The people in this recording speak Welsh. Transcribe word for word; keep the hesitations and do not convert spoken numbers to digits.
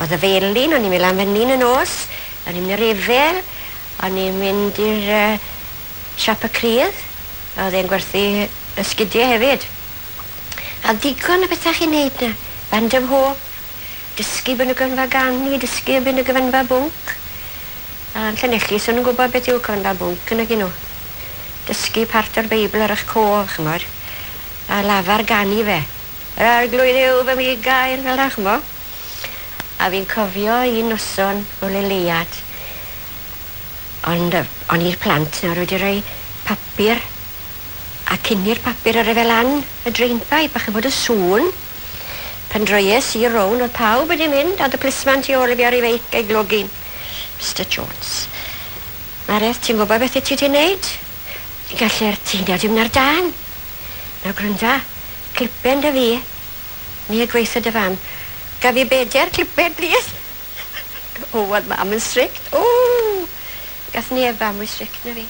Oedd y felin, o'n i'n mynd lan fan 'ny yn y nos, o'n i'n mynd i'r efel, o'n i'n mynd i'r uh, siop y crydd, a oedd e'n gwerthu esgidie hefyd. A ddigon o bethau chi'n neud 'na. Band of Hope, dysgu ben y gyfanfa ganu, dysgu ben y gyfanfa bwnc. A yn Llanelli, so nhw'n gwybod beth yw cyfanfa bwnc yn nhw. Dysgu part o'r Beibl ar eich cof, ch'mod. A lafar ganu fe. Yr arglwydd yw fy migail fel 'na, ch'mo'. A fi'n cofio un noson o leleiad. Ond yy o'n i'r plant nawr wedi rhoi papur a cynnu'r papur ar e fel lan y drainpipe a ch'mod y sŵn. Pan droies i rown o'dd pawb wedi mynd a o'dd y plisman tu ôl i fi ar ei feic a'i glogyn. Mister Jones. Mareth, ti'n gwybod beth wyt ti 'di neud? Ti'n gallu'r tŷ nawr dim ar dân. Nawr granda, clipen 'da fi. Ni a gweitho dy fam. Gaf fi beder clipen, plîs? O, o'dd mam yn strict. O! Gath neb fam mwy strict na fi.